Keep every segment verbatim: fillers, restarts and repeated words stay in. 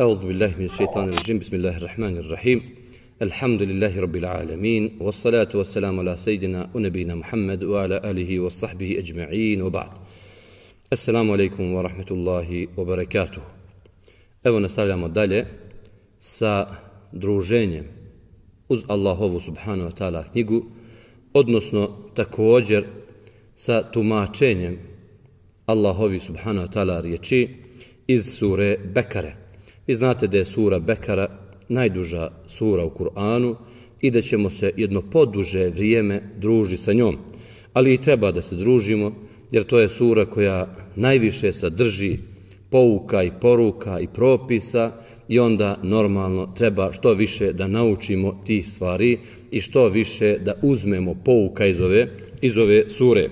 أعوذ بالله من الشيطان الرجيم بسم الله الرحمن الرحيم الحمد لله رب العالمين والصلاة والسلام على سيدنا ونبينا محمد وعلى آله وصحبه أجمعين وبعد السلام عليكم ورحمة الله وبركاته. Evo nastavljamo dalje sa druženjem uz Allahovu subhanahu wa ta'ala knjigu, odnosno također sa tumačenjem Allahovi subhanahu wa ta'ala riječi iz sure Bekare. Vi znate da je sura Bekara najduža sura u Kur'anu i da ćemo se jedno poduže vrijeme družiti sa njom. Ali i treba da se družimo, jer to je sura koja najviše sadrži pouka i poruka i propisa i onda normalno treba što više da naučimo tih stvari i što više da uzmemo pouka iz ove, iz ove sure.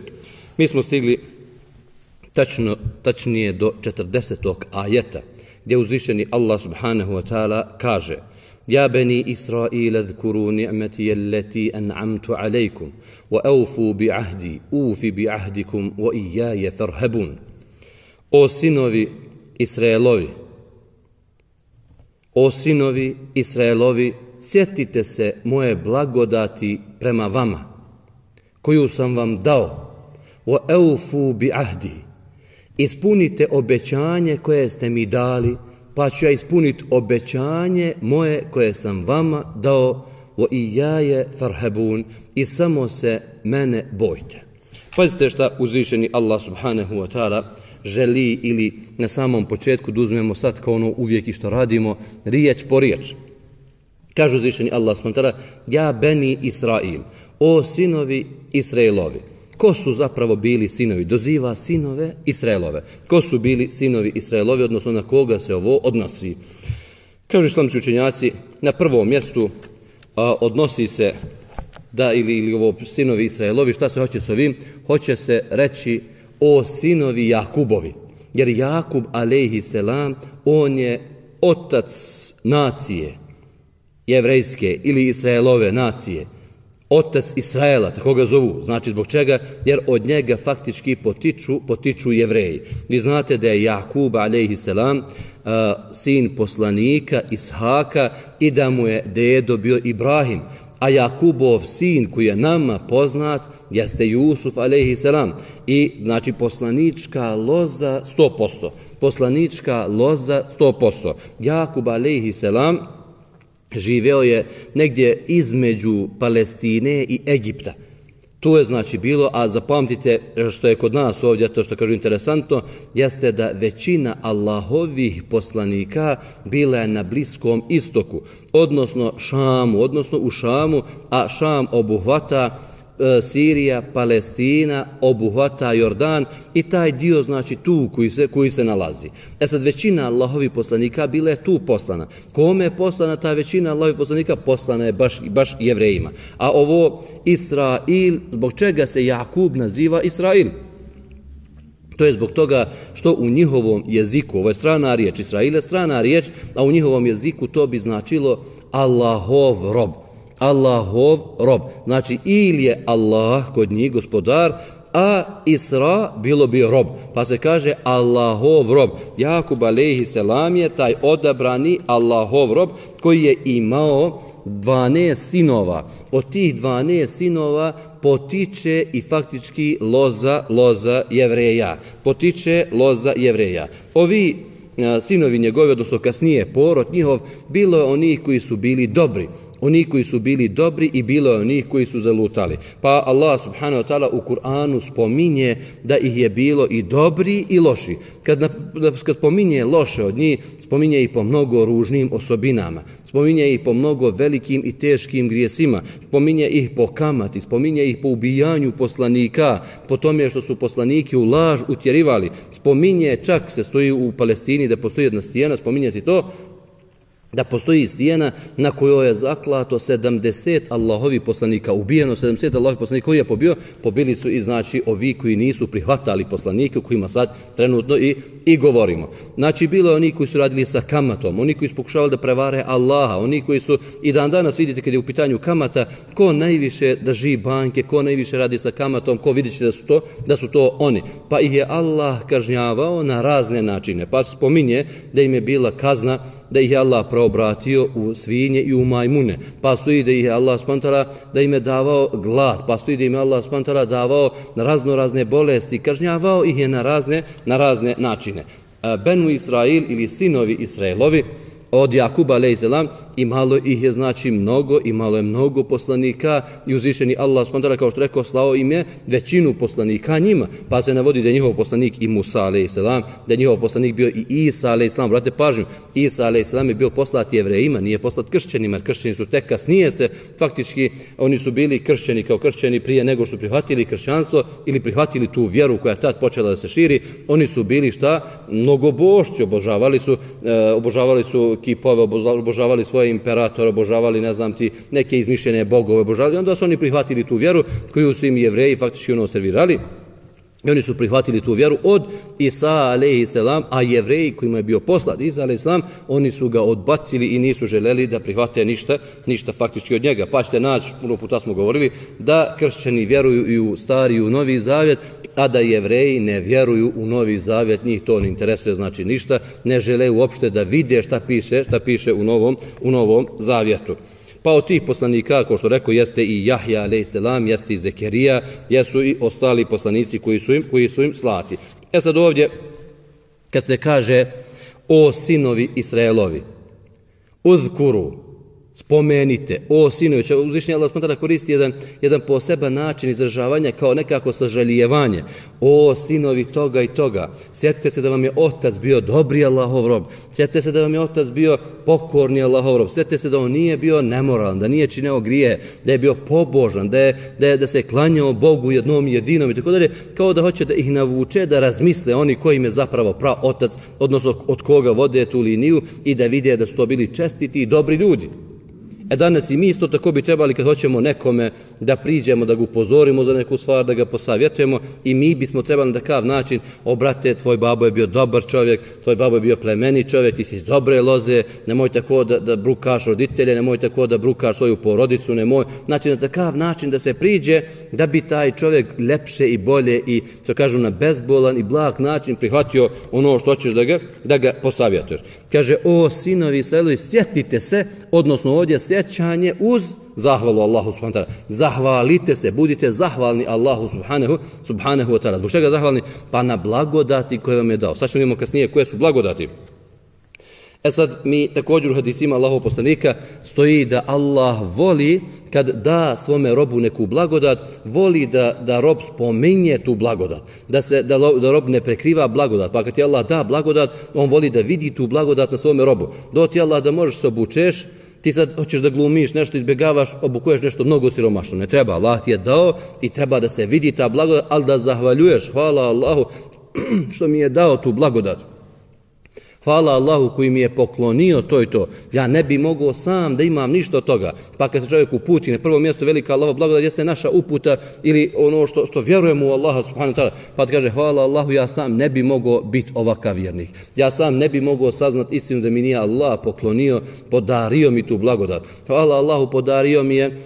Mi smo stigli tačno, tačnije do četrdesetog ajeta, gdje uzvišeni Allah subhanahu wa ta'ala kaže: Ja bani Israila zkuru ni'mati allati an'amtu alejkum wa awfu bi ahdi ufi bi ahdikum wa iyaya farhabun. O sinovi Israelovi, o sinovi Israelovi, sjetite se moje blagodati prema vama, koju sam vam dao, wa awfu bi ahdi. Ispunite obećanje koje ste mi dali, pa ću ja ispuniti obećanje moje koje sam vama dao, wa iyaye farhabun, i samo se mene bojte. Pazite šta uzvišeni Allah subhanahu wa ta'ala želi, ili na samom početku da uzmemo sad kao ono uvijek i što radimo, riječ po riječ. Kaže uzvišeni Allah subhanahu wa ta'ala: Ja bani Israil, o sinovi Israilovi. Ko su zapravo bili sinovi? Doziva sinove Israelove. Ko su bili sinovi Israelovi, odnosno na koga se ovo odnosi? Kažu islamski učenjaci, na prvom mjestu a, odnosi se da ili, ili ovo sinovi Israelovi, šta se hoće s ovim? Hoće se reći o sinovi Jakubovi. Jer Jakub alejhi selam, on je otac nacije jevrejske ili Israelove nacije. Otac Israela, tako ga zovu. Znači zbog čega? Jer od njega faktički potiču, potiču Jevreji. Vi znate da je Jakub alejhi selam uh, sin poslanika Ishaka i da mu je dedo bio Ibrahim. A Jakubov sin koji je nama poznat jeste Jusuf alejhi selam. I znači poslanička loza sto posto. Poslanička loza sto posto. Jakub alejhi selam živeo je negdje između Palestine i Egipta. Tu je znači bilo, a zapamtite što je kod nas ovdje, to što kažu interesantno, jeste da većina Allahovih poslanika bila je na Bliskom istoku, odnosno Šamu, odnosno u Šamu, a Šam obuhvata Sirija, Palestina, obuhvata Jordan i taj dio znači tu koji se, koji se nalazi. E sad većina Allahovih poslanika bila je tu poslana. Kome je poslana ta većina Allahovih poslanika? Poslana je baš, baš Jevrejima. A ovo Israil, zbog čega se Jakub naziva Israil? To je zbog toga što u njihovom jeziku, ovo je strana riječ, Israil je strana riječ, a u njihovom jeziku to bi značilo Allahov rob. Allahov rob. Znači ili je Allah kod njih gospodar, a Isra bilo bi rob. Pa se kaže Allahov rob. Jakub alejhi selam je taj odabrani Allahov rob koji je imao dvanaest sinova. Od tih dvanaest sinova potiče i faktički loza, loza Jevreja. Potiče loza Jevreja. Ovi a, sinovi njegovi, odnosno kasnije porod njihov, bilo je onih koji su bili dobri. Oni koji su bili dobri i bilo je onih koji su zalutali. Pa Allah subhanahu wa ta'ala u Kur'anu spominje da ih je bilo i dobri i loši. Kad, na, kad spominje loše od njih, spominje ih po mnogo ružnim osobinama. Spominje ih po mnogo velikim i teškim grijesima. Spominje ih po kamati, spominje ih po ubijanju poslanika, po tome što su poslaniki u laž utjerivali. Spominje, čak se stoji u Palestini da postoji jedna stijena, spominje se to, da postoji stijena na kojoj je zaklato sedamdeset Allahovi poslanika, ubijeno sedamdeset Allahovi poslanika, koji je pobio, pobili su i znači ovi koji nisu prihvatali poslanike, o kojima sad trenutno i, i govorimo. Znači bilo je oni koji su radili sa kamatom, oni koji su pokušavali da prevare Allaha, oni koji su i dan danas vidite kad je u pitanju kamata, ko najviše drži banke, ko najviše radi sa kamatom, ko vidjet će da su to, da su to oni. Pa ih je Allah kažnjavao na razne načine. Pa spominje da im je bila kazna, da ih je Allah preobratio u svinje i u majmune. Pa stoji da ih je Allah spantala da im je davao glad. Pa stoji da im je Allah spantala davao na razno razne bolesti. Kažnjavao ih je na razne, na razne načine. Benu Israil ili sinovi Israilovi od Jakuba alejselam imalo ih je znači mnogo, imalo je mnogo poslanika i uzvišeni Allah subhanahu kao što rekao slao im je većinu poslanika njima, pa se navodi da je njihov poslanik i Musa alejselam, da je njihov poslanik bio i Isa alejselam. Brate pažnju, Isa alejselam je bio poslat Jevrejima, nije poslat kršćanima, jer kršćani su tek kasnije se faktički oni su bili kršćani kao kršćani prije nego su prihvatili kršćanstvo ili prihvatili tu vjeru koja je tad počela da se širi. Oni su bili šta? Mnogobošci, obožavali su e, obožavali su kipove, obožavali svoje imperatore, obožavali, ne znam ti, neke izmišljene bogove, obožavali. Onda su oni prihvatili tu vjeru koju su im Jevreji faktički ono servirali. I oni su prihvatili tu vjeru od Isa alejselam, a Jevreji kojima je bio poslat Isa alejselam, oni su ga odbacili i nisu želeli da prihvate ništa, ništa faktički od njega. Pa ćete naći, puno puta smo govorili, da kršćani vjeruju i u stari i u novi zavjet, a da Jevreji ne vjeruju u novi zavjet, njih to ne interesuje, znači ništa, ne žele uopšte da vide šta piše, šta piše u novom, u novom zavjetu. Pa od tih poslanika, kao što rekao, jeste i Jahja alejselam, jeste i Zekerija, jesu i ostali poslanici koji su im, koji su im slati. E sad ovdje, kad se kaže o sinovi Israelovi, uzkuru, spomenite, o sinovi, uzvišenje Allah smatra da koristi jedan, jedan poseban način izražavanja kao nekako sažalijevanje. O sinovi toga i toga, sjetite se da vam je otac bio dobri Allahov rob, sjetite se da vam je otac bio pokorni Allahov rob, sjetite se da on nije bio nemoralan, da nije činio grije, da je bio pobožan, da, je, da, je, da se je klanjao Bogu jednom jedinom i tako dalje, kao da hoće da ih navuče da razmisle oni kojim je zapravo prav otac, odnosno od koga vode tu liniju i da vide da su to bili čestiti i dobri ljudi. E danas i mi isto tako bi trebali kad hoćemo nekome da priđemo, da ga upozorimo za neku stvar, da ga posavjetujemo i mi bismo trebali na takav način, obrate, tvoj babo je bio dobar čovjek, tvoj babo je bio plemeni čovjek, ti si iz dobre loze, nemoj tako da, da brukaš roditelje, nemoj tako da brukaš svoju porodicu, nemoj. Znači na takav način da se priđe da bi taj čovjek lepše i bolje i, što kažu, na bezbolan i blag način prihvatio ono što hoćeš da ga, da ga posavjetuješ. Kaže, o sinovi Israelovi, sjetite se, odnosno ovdje sjećanje uz zahvalu Allahu subhanahu wa ta'ala. Zahvalite se, budite zahvalni Allahu subhanahu, subhanahu wa ta'ala. Zbog čega zahvalni? Pa na blagodati koje vam je dao. Sad ćemo vidimo kasnije koje su blagodati. E sad mi također u hadisima Allahov poslanika stoji da Allah voli kad da svome robu neku blagodat, voli da, da rob spominje tu blagodat, da, se, da, da rob ne prekriva blagodat. Pa kad ti Allah da blagodat, on voli da vidi tu blagodat na svome robu. Do ti Allah da možeš se obučeš, ti sad hoćeš da glumiš nešto, izbjegavaš, obukuješ nešto mnogo siromašno. Ne treba, Allah ti je dao i treba da se vidi ta blagodat, ali da zahvaljuješ, hvala Allahu što mi je dao tu blagodat. Hvala Allahu koji mi je poklonio to i to. Ja ne bi mogao sam da imam ništa od toga. Pa kad se čovjek uputi, na prvo mjesto velika Allahova blagodat jeste naša uputa ili ono što, što vjerujemo u Allaha subhanahu wa ta'ala. Pa kaže hvala Allahu, ja sam ne bi mogao biti ovakav vjernik. Ja sam ne bi mogao saznat istinu da mi nije Allah poklonio, podario mi tu blagodat. Hvala Allahu, podario mi je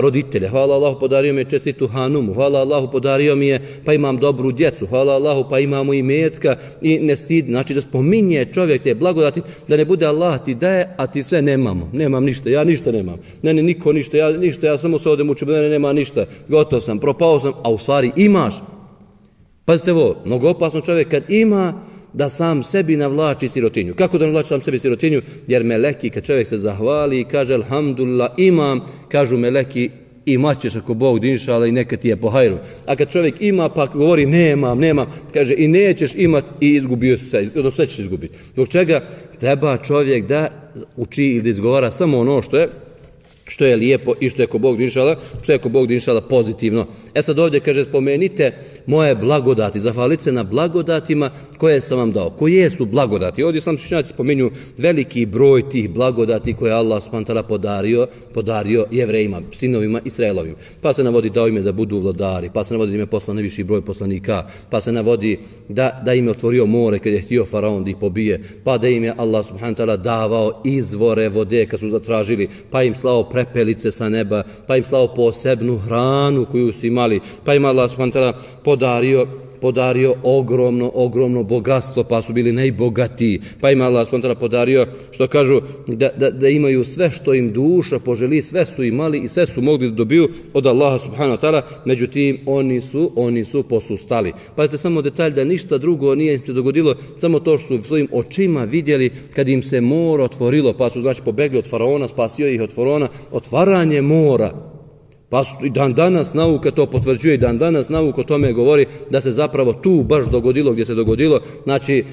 roditelje, hvala Allahu, podario mi je čestitu hanumu, hvala Allahu, podario mi je pa imam dobru djecu, hvala Allahu, pa imamo i metka i ne stid, znači da spominje čovjek te blagodati, da ne bude Allah ti daje, a ti sve nemamo, nemam ništa, ja ništa nemam, ne, ne, niko ništa, ja ništa, ja samo se odem učim, ne, nema ništa, gotov sam, propao sam, a u stvari imaš. Pazite ovo, mnogo opasno čovjek kad ima da sam sebi navlači sirotinju. Kako da navlači sam sebi sirotinju? Jer meleki, kad čovjek se zahvali i kaže alhamdulillah imam, kažu meleki imat ćeš ako Bog dinšala i neka ti je po hajru. A kad čovjek ima pa govori nemam, nemam, kaže i nećeš imat i izgubio se, do sve ćeš izgubiti. Zbog čega treba čovjek da uči ili da izgovara samo ono što je što je lijepo i što je ko Bog inšala, što je ko Bog inšala pozitivno. E sad ovdje kaže, spomenite moje blagodati, zahvalite se na blagodatima koje sam vam dao. Koje su blagodati? Ovdje sam učenjaci spominju veliki broj tih blagodati koje Allah subhanahu wa ta'ala podario, podario Jevrejima, sinovima Israelovim. Pa se navodi dao ime da budu vladari, pa se navodi da im je poslan najviši broj poslanika, pa se navodi da, da im je otvorio more kad je htio faraon da ih pobije, pa da im je Allah subhanahu wa ta'ala davao izvore vode kad su zatražili, pa im slao prepelice sa neba, pa im slao posebnu hranu koju su imali, pa im Allah subhanahu wa ta'ala podario podario ogromno, ogromno bogatstvo, pa su bili najbogatiji, pa im Allah subhanahu wa ta'ala podario, što kažu, da, da, da imaju sve što im duša poželi, sve su imali i sve su mogli da dobiju od Allaha subhanahu wa ta'ala, međutim, oni su, oni su posustali. Pazite samo detalj da ništa drugo nije im se dogodilo, samo to što su svojim očima vidjeli kad im se more otvorilo, pa su znači pobegli od faraona, spasio ih od faraona, otvaranje mora. Pa i dan danas nauka to potvrđuje i dan danas nauka o tome govori da se zapravo tu baš dogodilo gdje se dogodilo, znači e,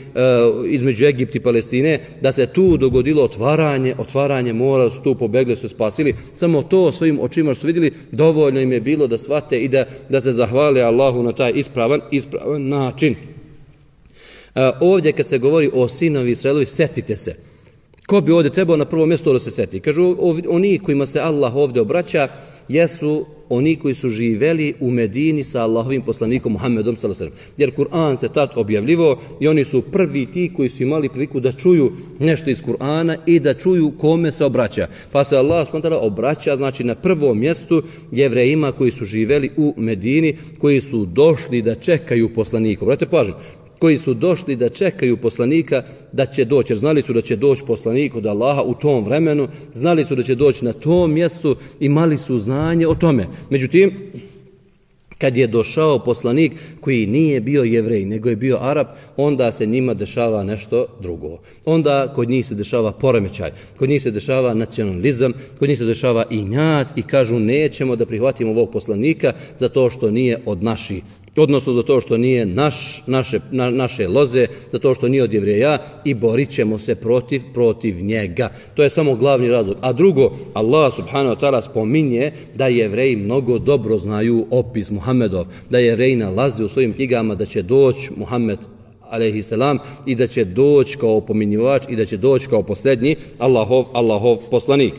između Egipta i Palestine, da se tu dogodilo otvaranje, otvaranje mora, su tu pobegli, su spasili. Samo to svojim očima su vidjeli, dovoljno im je bilo da shvate i da, da se zahvale Allahu na taj ispravan, ispravan način. E, ovdje kad se govori o sinovi Israelovi, setite se. Ko bi ovdje trebao na prvo mjesto da se seti? Kažu, oni kojima se Allah ovdje obraća jesu oni koji su živeli u Medini sa Allahovim poslanikom Muhammedom sallallahu alejhi ve sellem. Jer Kur'an se tad objavljivao i oni su prvi ti koji su imali priliku da čuju nešto iz Kur'ana i da čuju kome se obraća. Pa se Allah subhanahu wa ta'ala obraća, znači na prvom mjestu Jevrejima koji su živeli u Medini, koji su došli da čekaju poslanika. Brate, pažnju, koji su došli da čekaju poslanika da će doći, jer znali su da će doći poslanik od Allaha u tom vremenu, znali su da će doći na tom mjestu, imali su znanje o tome. Međutim, kad je došao poslanik koji nije bio Jevrej, nego je bio Arap, onda se njima dešava nešto drugo. Onda kod njih se dešava poremećaj, kod njih se dešava nacionalizam, kod njih se dešava injat i kažu nećemo da prihvatimo ovog poslanika zato što nije od naših. Odnosno za to što nije naš, naše, na, naše loze, za to što nije od Jevreja i borit ćemo se protiv, protiv njega. To je samo glavni razlog. A drugo, Allah subhanahu wa ta'ala spominje da Jevreji mnogo dobro znaju opis Muhammedov, da Jevreji nalaze u svojim knjigama da će doći Muhammed alejhi selam i da će doći kao opominjivač i da će doći kao posljednji Allahov, Allahov poslanik.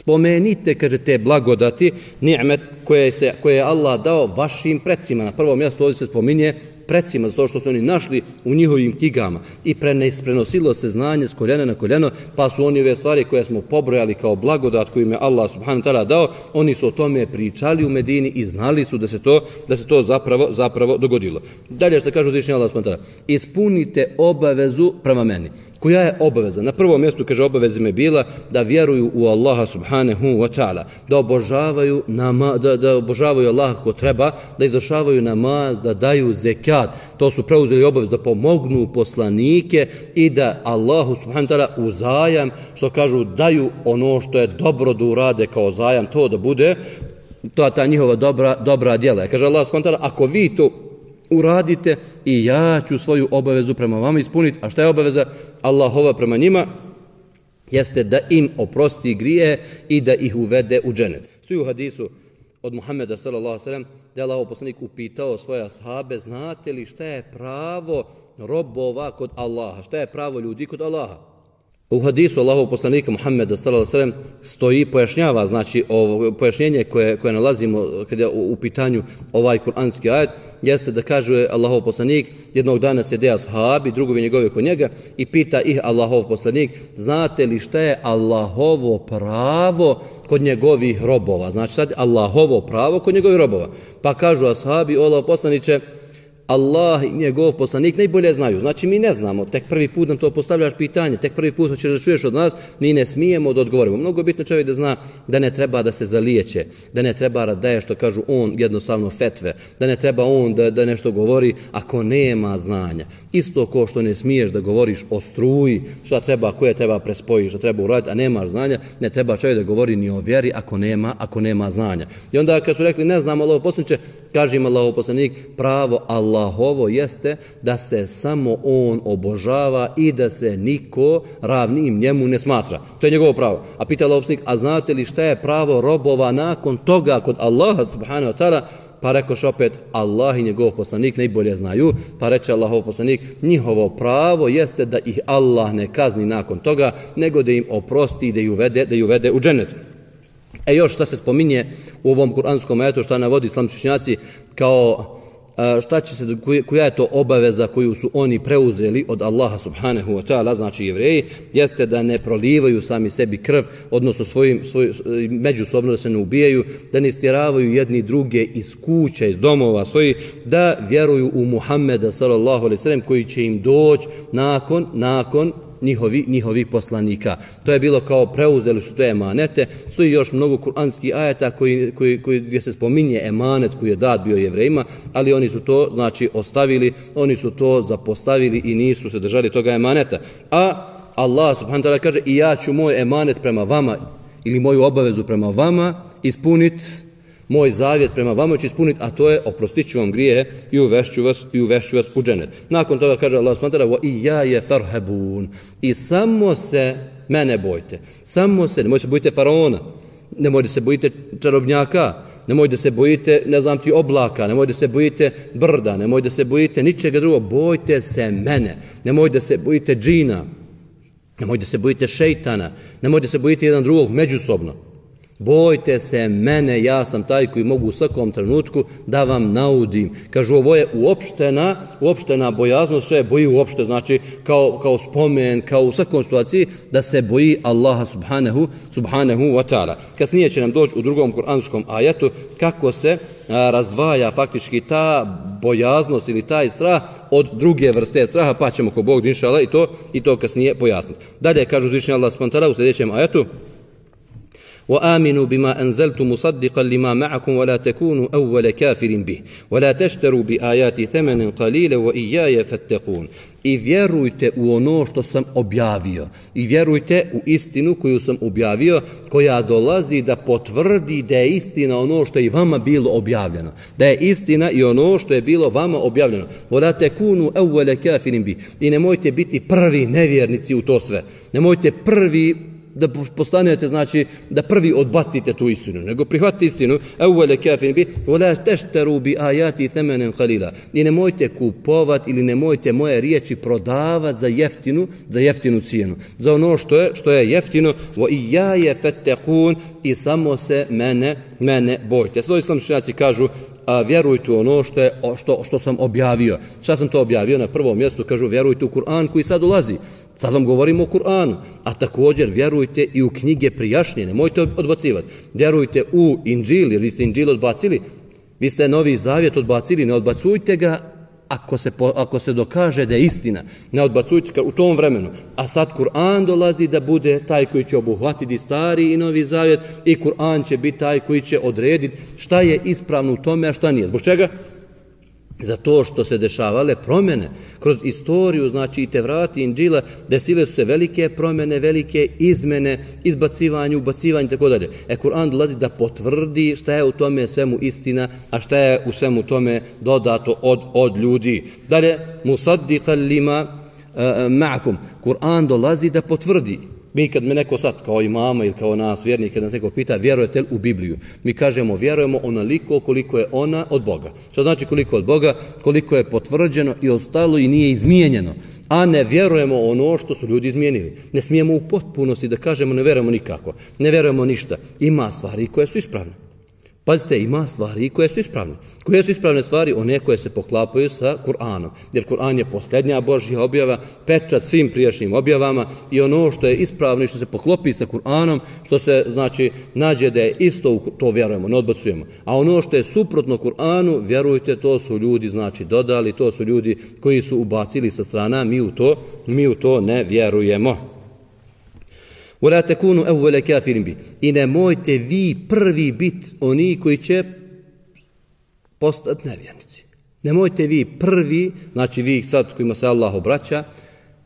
Spomenite, kaže, te blagodati, ni'met koje, se, koje je Allah dao vašim predsima. Na prvom mjestu ovdje se spominje predsima, zato što su oni našli u njihovim knjigama i prenosilo se znanje s koljena na koljeno, pa su oni ove stvari koje smo pobrojali kao blagodat koju im je Allah subhanahu wa ta'ala dao, oni su o tome pričali u Medini i znali su da se to, da se to zapravo, zapravo dogodilo. Dalje što kaže uzvišeni Allah subhanahu wa ta'ala, ispunite obavezu prema meni. Koja je obaveza? Na prvom mjestu, kaže, obaveza je bila da vjeruju u Allaha subhanahu wa ta'ala, da obožavaju nama, da, da obožavaju Allaha kako treba, da izvršavaju namaz, da daju zekat. To su preuzeli obavezu da pomognu poslanike i da Allahu subhanahu wa ta'ala u zajam, što kažu, daju ono što je dobro da urade kao zajam, to da bude, to je ta njihova dobra, dobra djela. Kaže Allah subhanahu wa ta'ala, ako vi to uradite i ja ću svoju obavezu prema vama ispuniti. A šta je obaveza Allahova prema njima? Jeste da im oprosti grije i da ih uvede u dženet. Svi u hadisu od Muhammeda sallallahu alejhi ve sellem da je Allahov poslanik upitao svoje ashabe, znate li šta je pravo robova kod Allaha? Šta je pravo ljudi kod Allaha? U hadisu Allahov poslanika Muhammeda sallallahu alejhi ve sellem stoji, pojašnjava, znači ovo pojašnjenje koje koje nalazimo kada je u pitanju ovaj kuranski ajet, jeste da kaže Allahov poslanik, jednog dana sjede ashabi, drugovi njegovi kod njega i pita ih Allahov poslanik, znate li šta je Allahovo pravo kod njegovih robova? Znači sad Allahovo pravo kod njegovih robova. Pa kažu ashabi, o Allahov poslaniče, Allah i njegov poslanik najbolje znaju. Znači mi ne znamo, tek prvi put nam to postavljaš pitanje, tek prvi put hoćeš da čuješ od nas, mi ne smijemo da odgovorimo. Mnogo bitno čovjek da zna da ne treba da se zalijeće, da ne treba da daje što kažu on jednostavno fetve, da ne treba on da, da nešto govori ako nema znanja. Isto ko što ne smiješ da govoriš o struji, šta treba, koje treba prespojiš, šta treba uraditi, a nemaš znanja, ne treba čovjek da govori ni o vjeri ako nema, ako nema znanja. I onda kad su rekli ne znamo Allahov poslaniče, kaže im Allahov poslanik, pravo Allah Allahovo jeste da se samo on obožava i da se niko ravnim njemu ne smatra. To je njegovo pravo. A pita Allahov poslanik, a znate li šta je pravo robova nakon toga kod Allaha subhanahu wa ta'ala? Pa rekoš opet, Allah i njegov poslanik najbolje znaju, pa reče Allahov poslanik, njihovo pravo jeste da ih Allah ne kazni nakon toga, nego da im oprosti i da ih uvede, da ih uvede u džennet. E još šta se spominje u ovom kuranskom ajetu, šta navodi islamski učenjaci kao šta će se, koja je to obaveza koju su oni preuzeli od Allaha subhanahu wa ta'ala, znači Jevreji, jeste da ne prolivaju sami sebi krv, odnosno svojim, svoj, međusobno da se ne ubijaju, da ne istjeravaju jedni druge iz kuća, iz domova svojih, da vjeruju u Muhammeda sallallahu alejhi ve sellem koji će im doći nakon, nakon njihovi, njihovi poslanika. To je bilo kao preuzeli su te emanete. Stoji još mnogo kuranskih ajeta koji, koji, koji, gdje se spominje emanet koji je dat bio Jevrejima, ali oni su to znači ostavili, oni su to zapostavili i nisu se držali toga emaneta. A Allah subhanahu wa ta'ala kaže i ja ću moj emanet prema vama ili moju obavezu prema vama ispuniti, moj zavjet prema vama će ispuniti, a to je oprostit ću vam grijehe i uvešću vas, i uvešću vas u džennet. Nakon toga kaže Allah subhanahu wa ta'ala i ja je farhabun i samo se mene bojte. Samo se, nemojte se bojite faraona, nemojte se bojite čarobnjaka, nemojte se bojite, ne znam ti, oblaka, nemojte se bojite brda, nemojte se bojite ničega drugog, bojte se mene, nemojte se bojite džina, nemojte se bojite šejtana, nemojte se bojite jedan drugog međusobno. Bojte se mene, ja sam taj koji mogu u svakom trenutku da vam naudim. Kažu, ovo je uopštena, uopštena bojaznost, što je boji uopšte, znači kao, kao spomen, kao u svakom situaciji, da se boji Allaha subhanahu, subhanahu wa ta'ala. Kasnije će nam doći u drugom kuranskom ajetu kako se a, razdvaja faktički ta bojaznost ili taj strah od druge vrste straha, pa ćemo ko Bog inšala i to, i to kasnije pojasniti. Dalje kažu uzvišeni Allah subhanahu wa ta'ala u sljedećem ajetu: وآمنوا بما أنزلت مصدقا لما معكم ولا تكونوا أول كافر به ولا تشتروا بآياتي ثمنا قليلا وإياي فاتقون. I vjerujte u ono što sam objavio. I vjerujte u istinu koju sam objavio, koja dolazi da potvrdi da je istina ono što je i vama bilo objavljeno. Da je istina i ono što je bilo vama objavljeno. وَلَا تَكُونُوا أَوَّلَ كَافِرٍ بِهِ. I nemojte biti prvi nevjernici u to sve. Nemojte prvi da postanete, znači da prvi odbacite tu istinu, nego prihvatite istinu. Awwala kafin bi wala tashtaru bi ayati thamanan qalila. I nemojte kupovati ili nemojte moje riječi prodavati za jeftinu, za jeftinu cijenu. Za ono što je što je jeftino, wa iyaya fattaqun, i samo se mene mene bojte. Sve islamski učenjaci kažu a vjerujte u ono što, je, što, što sam objavio. Šta sam to objavio? Na prvom mjestu kažu vjerujte u Kur'an koji sad ulazi. Sad vam govorimo o Kur'anu, a također vjerujte i u knjige prijašnje, nemojte odbacivati. Vjerujte u Inđil, jer vi ste Inđil odbacili, vi ste Novi Zavjet odbacili, ne odbacujte ga ako se, ako se dokaže da je istina. Ne odbacujte ga u tom vremenu. A sad Kur'an dolazi da bude taj koji će obuhvatiti Stari i Novi Zavjet i Kur'an će biti taj koji će odrediti šta je ispravno u tome, a šta nije. Zbog čega? Zato što se dešavale promjene kroz istoriju, znači i Tevrati i Inđila, desile su se velike promjene, velike izmene, izbacivanje, ubacivanje, tako dalje. E, Kur'an dolazi da potvrdi šta je u tome svemu istina, a šta je u svemu tome dodato od, od ljudi. Dalje, musaddiqan lima uh, ma'akum. Kur'an dolazi da potvrdi. Mi kad me neko sad, kao imama ili kao nas, vjernik, kad nas neko pita, vjerujete li u Bibliju? Mi kažemo, vjerujemo onoliko koliko je ona od Boga. Što znači koliko od Boga? Koliko je potvrđeno i ostalo i nije izmijenjeno. A ne vjerujemo ono što su ljudi izmijenili. Ne smijemo u potpunosti da kažemo ne vjerujemo nikako. Ne vjerujemo ništa. Ima stvari koje su ispravne. Pazite, ima stvari koje su ispravne. Koje su ispravne stvari? One koje se poklapaju sa Kur'anom. Jer Kur'an je posljednja Božja objava, pečat svim prijašnjim objavama, i ono što je ispravno i što se poklopi sa Kur'anom, što se, znači, nađe da je isto, to vjerujemo, ne odbacujemo. A ono što je suprotno Kur'anu, vjerujte, to su ljudi, znači, dodali, to su ljudi koji su ubacili sa strana, mi u to, mi u to ne vjerujemo. وَلَا تَكُونُوا أَوَّلَ كَافِرٍ بِهِ. I nemojte vi prvi biti oni koji će postati nevjernici. Nemojte vi prvi, znači vi sad kojima se Allah obraća,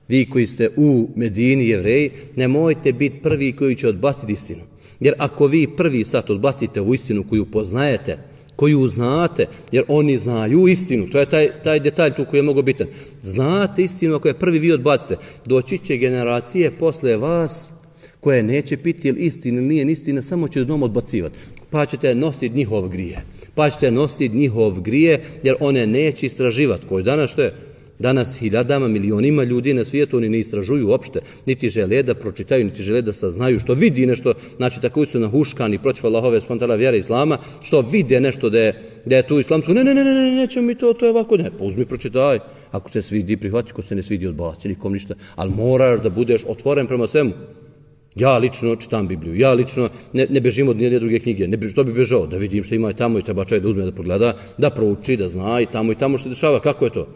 vi koji ste u Medini, Jevreji, nemojte biti prvi koji će odbaciti istinu. Jer ako vi prvi sad odbacite u istinu koju poznajete, koju znate, jer oni znaju istinu, to je taj, taj detalj tu koji je mnogo bitan. Znate istinu, ako je prvi vi odbacite, doći će generacije posle vas koje neće piti ili istina ili nije istina, samo će dom odbacivati. Pa ćete nositi njihov grije. Pa ćete nositi njihov grije, jer one neće istraživati. Koji danas što je? Danas hiljadama, milionima ljudi na svijetu oni ne istražuju uopšte, niti žele da pročitaju, niti žele da saznaju, što vidi nešto, znači tako su nahuškani protiv Allahove spontana vjere Islama, što vide nešto da je, da je tu islamsko, ne, ne, ne, ne, ne, nećemo mi to, to je ovako, ne, pa uzmi, pročitaj, ako se svidi, prihvati, ako se ne svidi, odbaci, nikom ništa, ali moraš da budeš otvoren prema svemu. Ja lično čitam Bibliju, ja lično ne, ne bežim od nijedne druge knjige, ne, što bi bežao, da vidim što ima i tamo i treba čovjek da uzme, da pogleda, da prouči, da zna i tamo i tamo što se dešava, kako je to?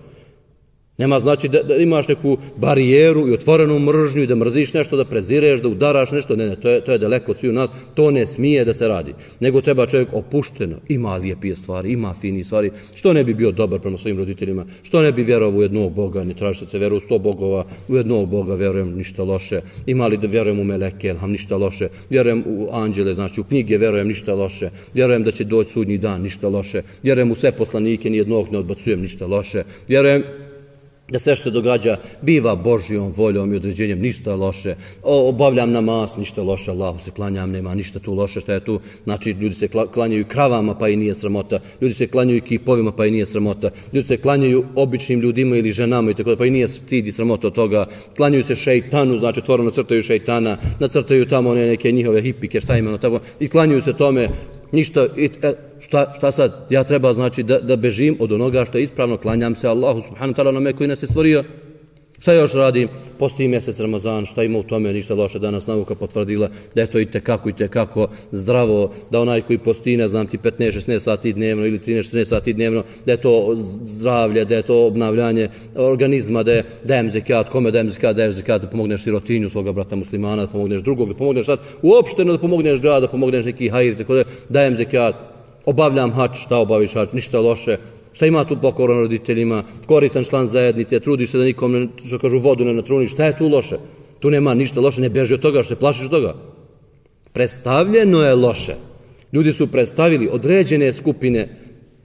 Nema znači da, da imaš neku barijeru i otvorenu mržnju i da mrziš nešto, da prezireš, da udaraš nešto. Ne, ne, to je, to je daleko od sviju nas. To ne smije da se radi. Nego treba čovjek opušteno. Ima lijepije stvari, ima fini stvari. Što ne bi bio dobar prema svojim roditeljima? Što ne bi vjerovao u jednog Boga? Ne traži se vjeru u sto bogova. U jednog Boga vjerujem, ništa loše. Ima li da vjerujem u meleke? Elham, ništa loše. Vjerujem u anđele, znači u knjige vjerujem, ništa loše. Vjerujem da će doći sudnji dan, ništa loše. Vjerujem u sve poslanike, nijednog ne odbacujem, ništa loše. Vjerujem da sve što se događa biva Božjom voljom i određenjem, ništa loše. O, obavljam namaz, ništa loše, Allahu se klanjam, nema ništa tu loše, šta je tu? Znači, ljudi se klanjaju kravama, pa i nije sramota. Ljudi se klanjaju kipovima, pa i nije sramota. Ljudi se klanjaju običnim ljudima ili ženama, i tako da, pa i nije stid i sramota od toga. Klanjaju se šejtanu, znači, otvoreno nacrtaju šejtana, nacrtaju tamo one neke njihove hipike, šta imeno, tako, i klanjaju se tome. Ništa, e, šta, šta sad? Ja treba znači da, da bežim od onoga što je ispravno, klanjam se Allahu subhanahu wa ta'ala onome koji nas je stvorio. Šta još radim? Postoji mjesec Ramazan, šta ima u tome, ništa loše, danas nauka potvrdila da je to i tekako i tekako zdravo, da onaj koji posti, ne znam ti, petnaest šesnaest sati dnevno ili trinaest četrnaest sati dnevno, da je to zdravlje, da je to obnavljanje organizma, da je dajem zekat, kome dajem zekat, daješ zekat da pomogneš sirotinju svoga brata muslimana, da pomogneš drugog, da pomogneš sad, uopšteno da pomogneš grad, da pomogneš neki hajir, tako da dajem zekat, obavljam hač, šta obaviš hač, ništa loše. Šta ima tu pokoran roditeljima, koristan član zajednice, trudiš se da nikom, što kažu, vodu ne natruniš, šta je tu loše? Tu nema ništa loše, ne beži od toga, što se plašiš od toga. Predstavljeno je loše. Ljudi su predstavili određene skupine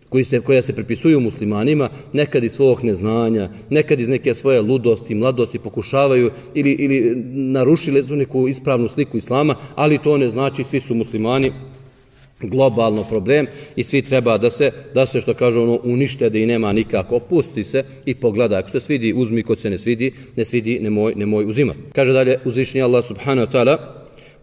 koji se, koje se pripisuju muslimanima, nekad iz svog neznanja, nekad iz neke svoje ludosti, mladosti pokušavaju ili, ili narušili su neku ispravnu sliku islama, ali to ne znači svi su muslimani. Globalno problem i svi treba da se, da se što kažu ono, unište, da i nema nikako, opusti se i pogleda, ako se svidi uzmi, kod se ne svidi, ne svidi, nemoj, nemoj uzimati. Kaže dalje uzvišeni Allah subhanahu wa ta'ala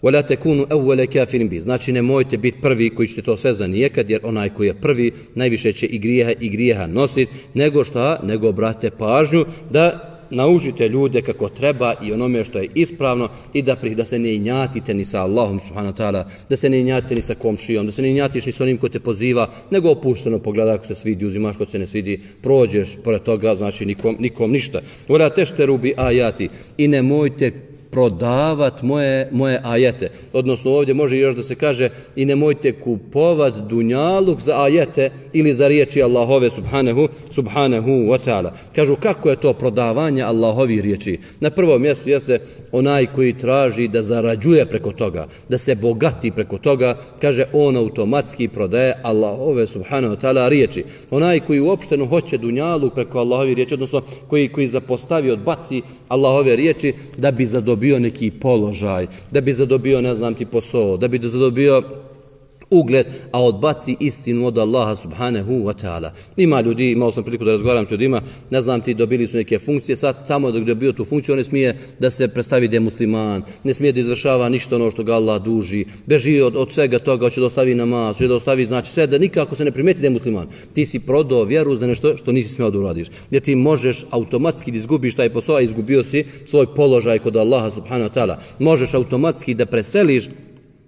وَلَا تَكُونُوا أَوَّلَ كَافِرٍ بِهِ. Znači nemojte biti prvi koji ćete to sve zanijekad, jer onaj koji je prvi najviše će i grijeha i grijeha nositi, nego šta, nego obrate pažnju da naučite ljude kako treba i onome što je ispravno i da, da se ne injatite ni sa Allahom subhanahu wa ta'ala, da se ne injatite ni sa komšijom, da se ne injatiš ni sa onim ko te poziva, nego opušteno pogleda ako se svidi, uzimaš ko se ne svidi, prođeš pored toga, znači nikom, nikom ništa. Vela tešteru bi ajati i nemojte prodavat moje, moje ajete. Odnosno ovdje može još da se kaže i nemojte kupovat dunjaluk za ajete ili za riječi Allahove subhanahu, subhanahu wa ta'ala. Kažu kako je to prodavanje Allahovih riječi? Na prvom mjestu jeste onaj koji traži da zarađuje preko toga, da se bogati preko toga, kaže on automatski prodaje Allahove subhanahu wa ta'ala riječi. Onaj koji uopšteno hoće dunjaluk preko Allahovih riječi, odnosno koji, koji zapostavi, odbaci Allahove riječi da bi zadobio bio neki položaj, da bi zadobio, ne znam ti, posao, da bi zadobio ugled, a odbaci istinu od Allaha subhanahu wa ta'ala. Ima ljudi, imao sam priliku da razgovaram s ljudima, ne znam ti, dobili su neke funkcije, sad tamo dok je bio tu funkciju, on ne smije da se predstavi da je musliman, ne smije da izvršava ništa ono što ga Allah duži, beži od, od svega toga, hoće da ostavi namaz, hoće da ostavi, znači sve, da nikako se ne primeti da je musliman. Ti si prodao vjeru za nešto što nisi smio da uradiš. Gdje ti možeš automatski da izgubiš taj posao, a izgubio si svoj položaj kod Allaha subhanahu wa ta'ala. Možeš automatski da preseliš.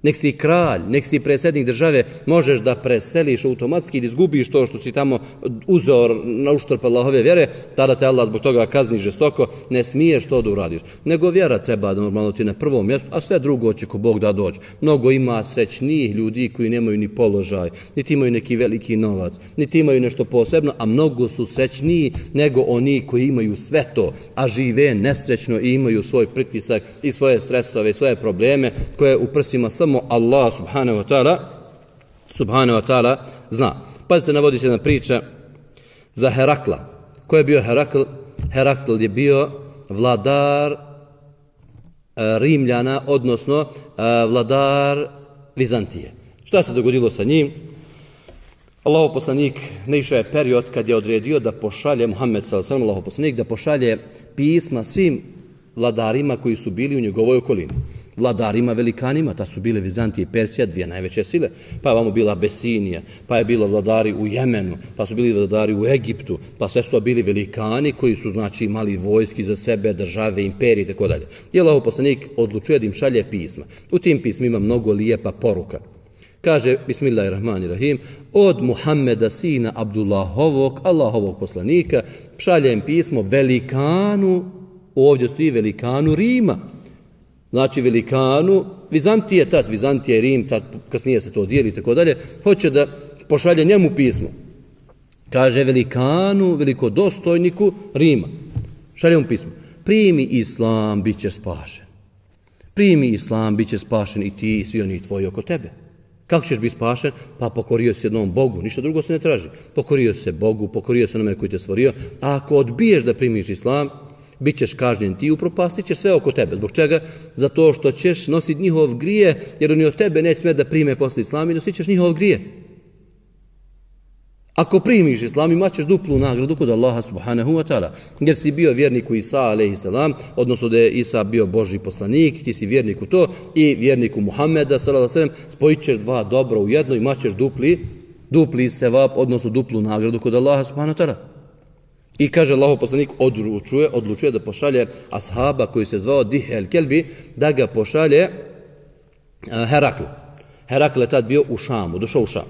Nek si kralj, nek si predsjednik države, možeš da preseliš automatski i da izgubiš to što si tamo uzeo na uštrb Allahove vjere, tada te Allah zbog toga kazni žestoko, ne smiješ to da uradiš. Nego vjera treba da normalno ti na prvom mjestu, a sve drugo će ko Bog da dođe. Mnogo ima srećnijih ljudi koji nemaju ni položaj, niti imaju neki veliki novac, niti imaju nešto posebno, a mnogo su srećniji nego oni koji imaju sve to, a žive nesrećno i imaju svoj pritisak i svoje stresove i svoje probleme koje u prsima samo Allah subhanahu wa ta'ala subhanahu wa ta'ala zna. Pazite, navodi se jedna priča za Herakla. Ko je bio Herakl? Herakl je bio vladar Rimljana, odnosno vladar Vizantije. Šta se dogodilo sa njim? Allahov poslanik naišao je period kad je odredio da pošalje, Muhammed sallallahu alejhi ve sellem, Allahov poslanik, da pošalje pisma svim vladarima koji su bili u njegovoj okolini. Vladarima velikanima, ta su bile Vizantije i Persija, dvije najveće sile, pa je vamo bila Abesinija, pa je bilo vladari u Jemenu, pa su bili vladari u Egiptu, pa sve su to bili velikani koji su znači imali vojski za sebe, države, imperije i tako dalje. I Allahov poslanik odlučuje da im šalje pisma. U tim pismima mnogo lijepa poruka. Kaže, bismillahirrahmanirrahim, od Muhammeda sina Abdullahovog, Allahovog poslanika, šaljem pismo velikanu, ovdje stoji velikanu Rima. Znači velikanu Vizantije, tad Vizantije i Rim, tad kasnije se to dijeli i tako dalje, hoće da pošalje njemu pismo. Kaže velikanu, velikodostojniku Rima. Šalje mu pismo. Primi islam, bit ćeš spašen. Primi islam, bit ćeš spašen i ti i svi oni tvoji oko tebe. Kako ćeš biti spašen? Pa pokorio se jednom Bogu, ništa drugo se ne traži. Pokorio se Bogu, pokorio se onome koji te stvorio, a ako odbiješ da primiš islam, bit ćeš kažnjen ti i upropastit ćeš sve oko tebe. Zbog čega? Zato što ćeš nositi njihov grije, jer oni od tebe ne smije da prime posle islam i nosit ćeš njihov grije. Ako primiš islam, imat ćeš duplu nagradu kod Allaha subhanahu wa ta'ala. Jer si bio vjernik u Isa alejhi selam, odnosno da je Isa bio Božji poslanik, ti si vjernik u to, i vjernik u Muhammeda sallallahu alejhi ve sellem, spojit ćeš dva dobra u jedno, imat ćeš dupli, dupli sevap, odnosno duplu nagradu kod Allaha subhanahu wa ta'ala. I kaže Allahov poslanik odlučuje, odlučuje da pošalje ashaba koji se zvao Dihje el-Kelbi, da ga pošalje uh, Heraklu. Herakl je tad bio u Šamu, došao u Šam.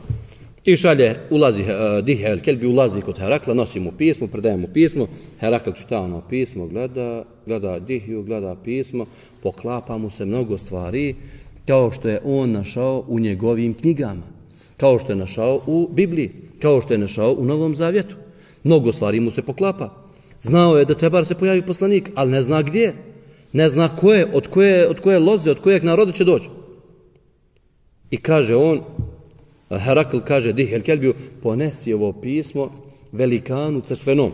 I šalje, ulazi, uh, Dihje el-Kelbi ulazi kod Herakla, nosi mu pismo, predaje mu pismo, Herakl čita ono pismo, gleda, gleda Dihju, gleda pismo, poklapa mu se mnogo stvari, kao što je on našao u njegovim knjigama, kao što je našao u Bibliji, kao što je našao u Novom Zavjetu. Mnogo stvari mu se poklapa. Znao je da treba da se pojavi poslanik, ali ne zna gdje. Ne zna ko je, od koje, od koje loze, od kojeg naroda će doći. I kaže on, Herakl kaže Dihje el-Kelbiju, ponesi ovo pismo velikanu crkvenom,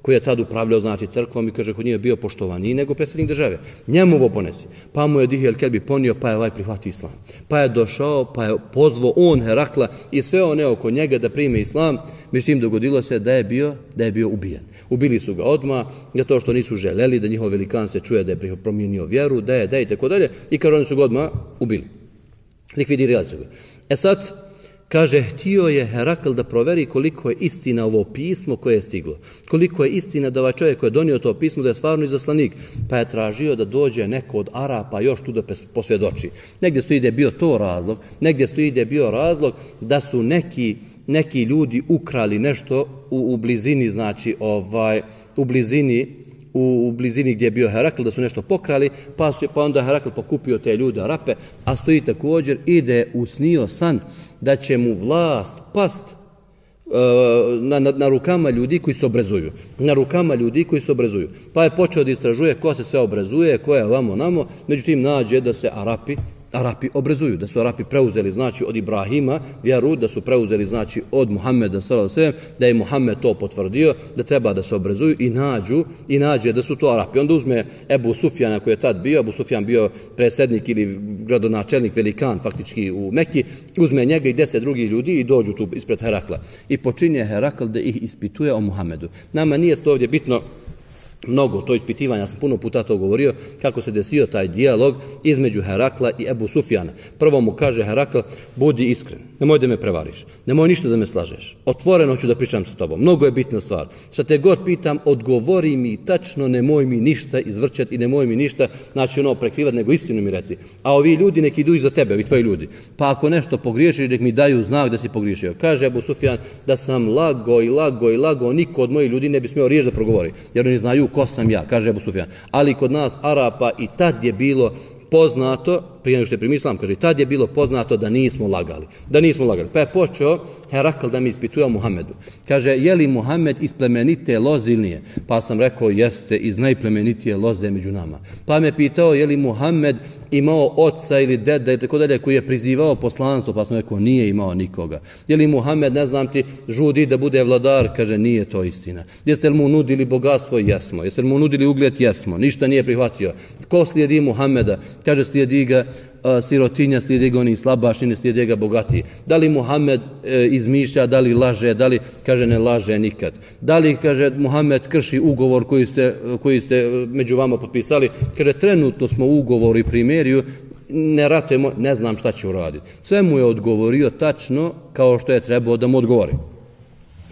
koji je tad upravljao znači crkvom i kaže kod nije bio poštovaniji nego predsjednik države. Njemu ovo ponesi. Pa mu je Dihje el-Kelbi ponio, pa je ovaj prihvatio islam. Pa je došao, pa je pozvao on Herakla i sve one oko njega da prime islam. Međutim, dogodilo se da je bio, da je bio ubijen. Ubili su ga odmah, zato što nisu želeli da njihov velikan se čuje da je promijenio vjeru, da je, da je i tako dalje. I kaže, oni su ga odmah ubili. Likvidirali su ga. E sad, kaže, htio je Herakl da proveri koliko je istina ovo pismo koje je stiglo. Koliko je istina da ovaj čovjek koji je donio to pismo da je stvarno izaslanik. Pa je tražio da dođe neko od Arapa još tu da posvjedoči. Negdje stoji da je bio to razlog, negdje stoji da je bio razlog da su neki, neki ljudi ukrali nešto u, u blizini, znači ovaj, u blizini U, u blizini gdje je bio Herakl, da su nešto pokrali, pa, su, pa onda Herakl pokupio te ljude Arape, a stoji također i da je usnio san da će mu vlast past uh, na, na, na rukama ljudi koji se obrazuju. Na rukama ljudi koji se obrazuju. Pa je počeo da istražuje ko se sve obrazuje, ko je vamo namo, međutim nađe da se Arapi Arapi obrazuju, da su Arapi preuzeli znači od Ibrahima vjeru, da su preuzeli znači od Muhammeda sallallahu alejhi ve sellem, da je Muhammed to potvrdio, da treba da se obrazuju i nađu i nađe da su to Arapi. Onda uzme Ebu Sufjana koji je tad bio, Ebu Sufjan bio predsjednik ili gradonačelnik velikan faktički u Mekki, uzme njega i deset drugih ljudi i dođu tu ispred Herakla. I počinje Herakl da ih ispituje o Muhammedu. Nama nije to ovdje bitno mnogo to ispitivanja, ja sam puno puta to govorio, kako se desio taj dijalog između Herakla i Ebu Sufjana. Prvo mu kaže Herakl, budi iskren, nemoj da me prevariš, nemoj ništa da me slažeš, otvoreno ću da pričam sa tobom, mnogo je bitna stvar. Šta te god pitam, odgovori mi tačno, nemoj mi ništa izvrćati i nemoj mi ništa, znači ono prekrivati, nego istinu mi reci. A ovi ljudi neki idu iza tebe, ovi tvoji ljudi, pa ako nešto pogriješiš, nek mi daju znak da si pogriješio. Kaže Ebu Sufjan, da sam lago i lago i lago, niko od mojih ljudi ne bi smio riječ da progovori, jer oni znaju ko sam ja, kaže Ebu Sufjan. Ali kod nas Arapa i tad je bilo poznato, prije nego što je primio islam, kaže, tad je bilo poznato da nismo lagali. Da nismo lagali. Pa je počeo Herakl da mi ispituje o Muhammedu. Kaže, je li Muhammed iz plemenite loze ili nije? Pa sam rekao, jeste iz najplemenitije loze među nama. Pa me pitao, je li Muhammed imao oca ili deda i tako dalje koji je prizivao poslanstvo? Pa sam rekao, nije imao nikoga. Je li Muhammed, ne znam ti, žudi da bude vladar? Kaže, nije to istina. Jeste li mu nudili bogatstvo? Jesmo. Jeste li mu nudili ugled? Jesmo. Ništa nije prihvatio. Ko slijedi Muhammeda? Kaže, slijedi ga a, sirotinja, slijedi ga oni slabašni, ne slijedi ga bogatiji. Da li Muhammed e, izmišlja, da li laže, da li, kaže, ne laže nikad. Da li, kaže, Muhammed krši ugovor koji ste, koji ste među vama potpisali? Kaže, trenutno smo u ugovoru i primeriju, ne ratujemo, ne znam šta će uraditi. Sve mu je odgovorio tačno kao što je trebao da mu odgovori.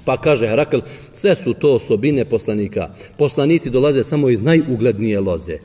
Pa kaže Herakl, sve su to osobine poslanika. Poslanici dolaze samo iz najuglednije loze.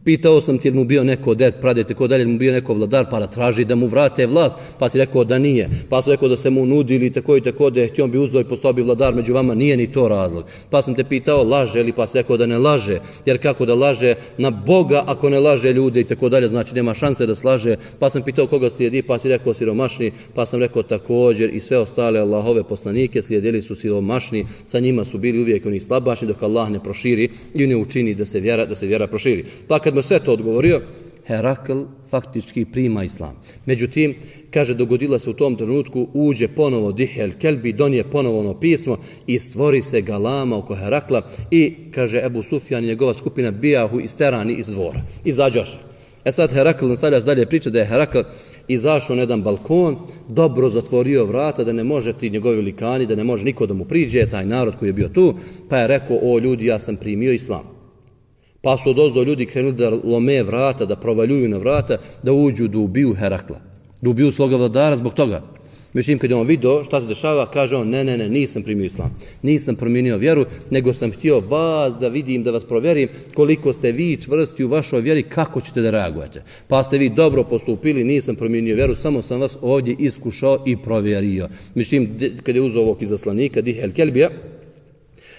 Pitao sam ti, je mu bio neko ded, pradete, ko dalje, mu bio neko vladar, pa da traži da mu vrate vlast, pa si rekao da nije. Pa sam rekao da se mu nudili tako i tako, da je htio bi uzeo i postao bi vladar među vama, nije ni to razlog. Pa sam te pitao, laže li, pa si rekao da ne laže, jer kako da laže na Boga ako ne laže ljude i tako dalje, znači nema šanse da slaže. Pa sam pitao koga slijedi, pa si rekao siromašni, pa sam rekao također i sve ostale Allahove poslanike slijedili su siromašni, sa njima su bili uvijek oni slabašni dok Allah ne proširi i ne učini da se vjera, da se vjera proširi. Pa kad mu sve to odgovorio, Herakl faktički prima islam. Međutim, kaže, dogodila se u tom trenutku, uđe ponovo Dihje el-Kelbi, donije ponovo ono pismo i stvori se galama oko Herakla i, kaže, Ebu Sufjan i njegova skupina bijahu isterani iz dvora. Izađoše. E sad Herakl nastavlja dalje priča da je Herakl izašao na jedan balkon, dobro zatvorio vrata, da ne može ti njegovi likani, da ne može niko da mu priđe, taj narod koji je bio tu, pa je rekao, o ljudi, ja sam primio islam. Pa su odozdo ljudi krenuli da lome vrata, da provaljuju na vrata, da uđu, da ubiju Herakla. Da ubiju svoga vladara zbog toga. Međutim, kad je on vidio šta se dešava, kaže on, ne, ne, ne, nisam primio islam. Nisam promijenio vjeru, nego sam htio vas da vidim, da vas provjerim koliko ste vi čvrsti u vašoj vjeri, kako ćete da reagujete. Pa ste vi dobro postupili, nisam promijenio vjeru, samo sam vas ovdje iskušao i provjerio. Međutim, kad je uzeo ovog izaslanika, Dihje el-Kelbija,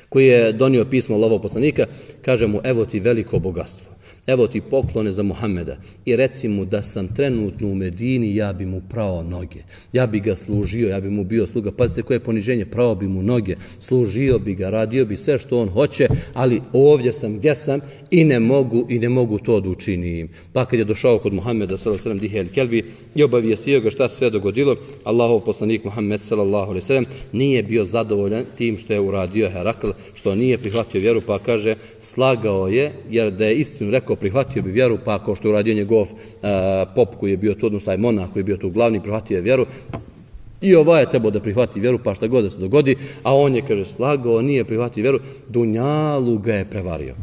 koji je donio pismo Allahovog poslanika, kaže mu, evo ti veliko bogatstvo, evo ti poklone za Muhammeda i reci mu da sam trenutno u Medini, ja bi mu prao noge, ja bi ga služio, ja bi mu bio sluga. Pazite koje je poniženje, prao bi mu noge, služio bi ga, radio bi sve što on hoće, ali ovdje sam gdje sam i ne mogu i ne mogu to da učinim. Pa kad je došao kod Muhammeda sallallahu alejhi ve sellem Dihje el-Kelbi i obavijestio ga šta se sve dogodilo, Allahov poslanik Muhammed sallallahu alejhi ve sellem nije bio zadovoljan tim što je uradio Herakl, što nije prihvatio vjeru, pa kaže, slagao je, jer da je istinu rekao, prihvatio bi vjeru, pa kao što je uradio njegov uh, pop koji je bio tu, odnosno taj monah koji je bio tu glavni, prihvatio je vjeru. I ovaj je trebao da prihvati vjeru, pa šta god da se dogodi, a on je, kaže, slagao, nije prihvatio vjeru, dunjalu ga je prevario.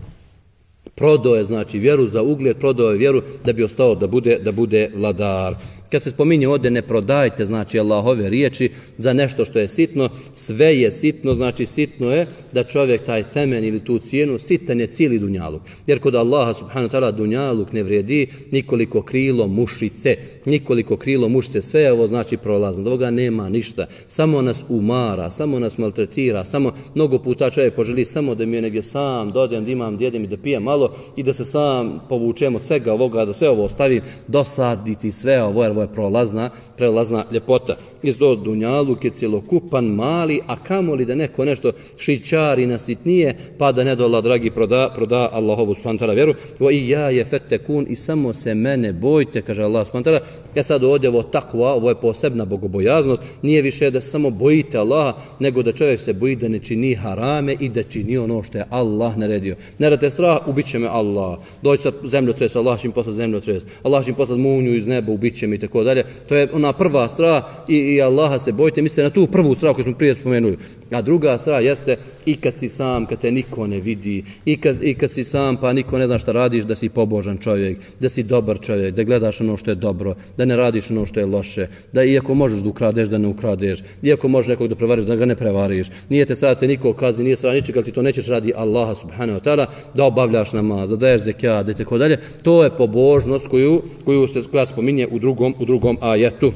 Prodao je, znači, vjeru za ugled, prodao je vjeru da bi ostao da bude, da bude vladar. Kad se spominje ovdje, ne prodajte, znači, Allahove riječi za nešto što je sitno, sve je sitno, znači sitno je da čovjek taj temen ili tu cijenu, sitan je cijeli dunjaluk. Jer kod Allaha subhanahu wa ta'ala dunjaluk ne vrijedi nikoliko krilo mušice, nikoliko krilo mušice, sve je ovo znači prolazno, da ovoga nema ništa, samo nas umara, samo nas maltretira, samo mnogo puta čovjek poželi samo da mi je negdje sam dodem, da imam, da jedem i da pijem malo i da se sam povučemo svega ovoga, da sve ovo ostavim, dosaditi sve ovo, jer ovo je prolazna, prelazna ljepota. Iz do dunjaluk je cjelokupan, mali, a kamoli da neko nešto šičari nasitnije, pa da ne dola, dragi, proda, proda Allahovu subhanahu wa ta'ala vjeru. O i ja je fettekun, i samo se mene bojte, kaže Allah subhanahu wa ta'ala. Ja sad ovdje ovo takva, ovo je posebna bogobojaznost, nije više da samo bojite Allaha, nego da čovjek se boji da ne čini harame i da čini ono što je Allah naredio. Ne da te strah, ubit će me Allah. Doći sa zemljotres, Allah će im poslati zemljotres, Allah će im poslati munju iz neba, ubit će mi i tako dalje. To je ona prva strah i, i Allaha se bojite, mislite na tu prvu strah koju smo prije spomenuli. A druga strah jeste i kad si sam, kad te niko ne vidi, i kad, i kad si sam pa niko ne zna šta radiš, da si pobožan čovjek, da si dobar čovjek, da gledaš ono što je dobro, da ne radiš ono što je loše, da iako možeš da ukradeš, da ne ukradeš, iako možeš nekog da prevariš, da ga ne prevariš. Nije te sada te niko kazni, nije sada ničeg, ali ti to nećeš radi Allaha subhanahu wa ta'ala, da obavljaš namaz, da daješ zekijat, i tako dalje. To je pobožnost koju, koju se, koja spominje u drugom, u drugom ajetu.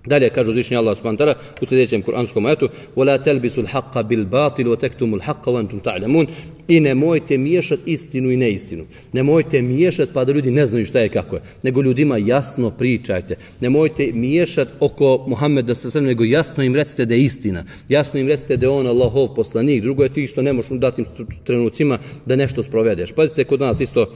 Dalje kaže uzvišeni Allah subhanahu wa ta'ala u sljedećem kuranskom ajetu: "Wala talbisul haqqa bil batil wa taktumul haqqa wa antum ta'lamun." i nemojte miješati istinu i neistinu. Nemojte miješati pa da ljudi ne znaju šta je kako je. Nego ljudima jasno pričajte. Nemojte miješati oko Muhammeda sallallahu alejhi ve sellem, nego jasno im recite da je istina. Jasno im recite da je on Allahov poslanik. Drugo je ti što ne možeš u datim trenucima da nešto sprovedeš. Pazite, kod nas isto,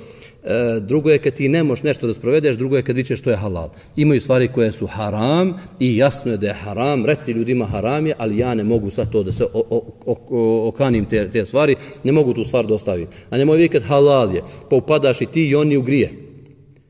e, drugo je kad ti ne možeš nešto da sprovedeš, drugo je kad vičeš što je halal. Imaju stvari koje su haram i jasno je da je haram. Reci ljudima haram je, ali ja ne mogu sad to da se o, o, o, okanim te, te stvari, ne mogu tu stvar da ostavim. A nemoj vikati halal je, pa upadaš i ti i oni u grije.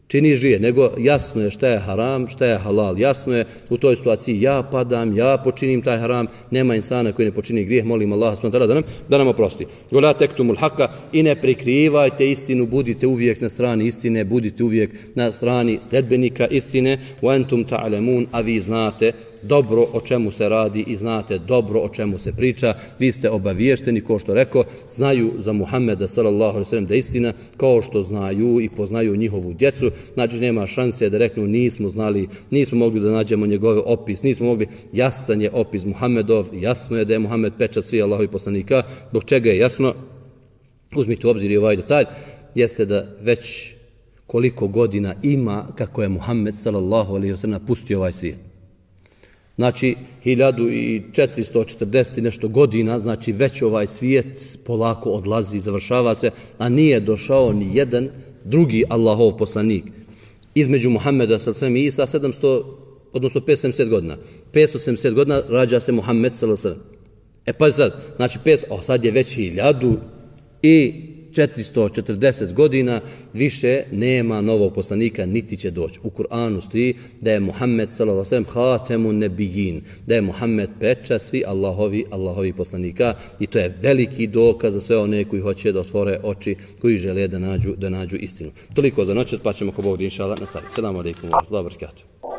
Činiš grije, nego jasno je šta je haram, šta je halal. Jasno je u toj situaciji ja padam, ja počinim taj haram, nema insana koji ne počini grijeh, molim Allah da nam, da nam oprosti. Gola tektumul haka i ne prikrivajte istinu, budite uvijek na strani istine, budite uvijek na strani sledbenika istine, wa antum ta'lamun, a vi znate dobro o čemu se radi i znate dobro o čemu se priča. Vi ste obaviješteni, kao što rekao, znaju za Muhammeda sallallahu alejhi ve sellem da je istina, kao što znaju i poznaju njihovu djecu. Znači nema šanse da reknu nismo znali, nismo mogli da nađemo njegov opis, nismo mogli. Jasan je opis Muhammedov, jasno je da je Muhammed pečat svih Allahovih poslanika. Zbog čega je jasno? Uzmite u obzir i ovaj detalj, jeste da već koliko godina ima kako je Muhammed sallallahu alejhi ve sellem napustio ovaj svijet. Znači, hiljadu četiristo četrdeset nešto godina, znači već ovaj svijet polako odlazi, završava se, a nije došao ni jedan drugi Allahov poslanik. Između Muhammeda sallallahu alejhi ve sellem i Isa sedamsto, odnosno petsto sedamdeset godina. petsto sedamdeset godina rađa se Muhammed sallallahu alejhi ve sellem. E pa sad, znači petsto, o sad je već hiljadu i četiristo četrdeset godina, više nema novog poslanika, niti će doći. U Kur'anu stoji da je Muhammed sallallahu alejhi ve sellem hatemun nebijin, da je Muhammed pečat svi Allahovi, Allahovi poslanika, i to je veliki dokaz za sve one koji hoće da otvore oči, koji žele da nađu, da nađu istinu. Toliko za noć, pa ćemo ko Bog inšallah nastaviti. Selamu alejkum wa rahmetullahi wa barakatuh.